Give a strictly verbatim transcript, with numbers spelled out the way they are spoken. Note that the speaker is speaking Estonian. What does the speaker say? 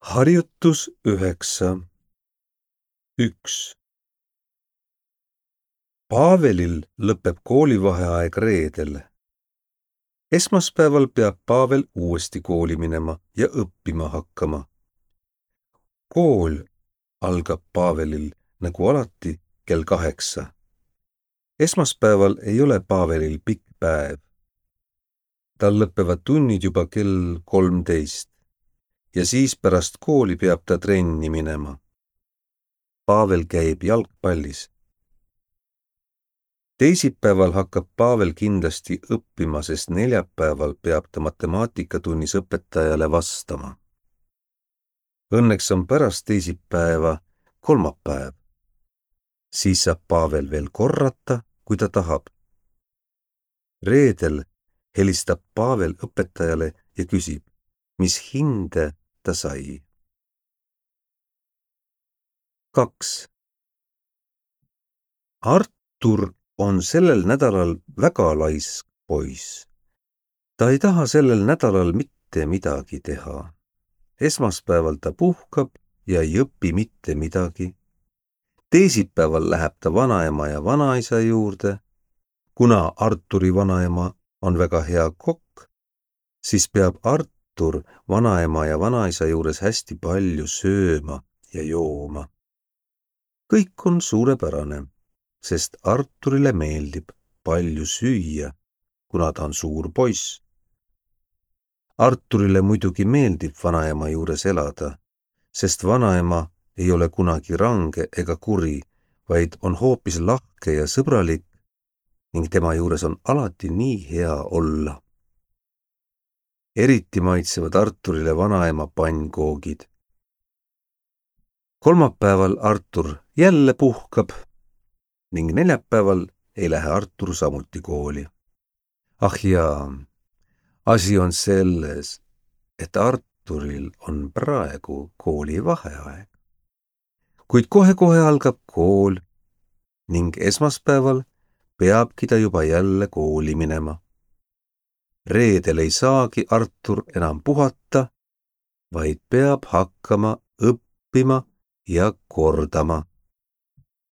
Harjutus üheksa. üks. Paavelil lõpeb koolivaheaeg reedel. Esmaspäeval peab Paavel uuesti kooli minema ja õppima hakkama. Kool algab Paavelil nagu alati kell kaheksa. Esmaspäeval ei ole Paavelil pikk päev. Tal lõpevad tunnid juba kell kolmteist. Ja siis pärast kooli peab ta trenni minema. Paavel käib jalgpallis. Teisipäeval hakkab Paavel kindlasti õppima, sest neljapäeval peab ta matemaatikatunnis õpetajale vastama. Õnneks on pärast teisipäeva kolmapäev. Siis saab Paavel veel korrata, kui ta tahab. Reedel helistab Paavel õpetajale ja küsib, mis hinde ta sai. kaks. Artur on sellel nädalal väga laisk poiss. Ta ei taha sellel nädalal mitte midagi teha. Esmaspäeval ta puhkab ja ei õpi mitte midagi. Teisipäeval läheb ta vanaema ja vanaisa juurde. Kuna Arturi vanaema on väga hea kokk, siis peab Artur vanaema ja vanaisa juures hästi palju sööma ja jooma. Kõik on suurepärane, sest Arturile meeldib palju süüa, kuna ta on suur poiss. Arturile muidugi meeldib vanaema juures elada, sest vanaema ei ole kunagi range ega kuri, vaid on hoopis lahke ja sõbralik ning tema juures on alati nii hea olla. Eriti maitsevad Arturile vanaema pannkoogid. Kolmapäeval Artur jälle puhkab ning neljapäeval ei lähe Artur samuti kooli. Ah jaa, asi on selles, et Arturil on praegu koolivaheaeg. Kuid kohe-kohe algab kool ning esmaspäeval peabki ta juba jälle kooli minema. Reedel ei saagi Artur enam puhata, vaid peab hakkama õppima ja kordama.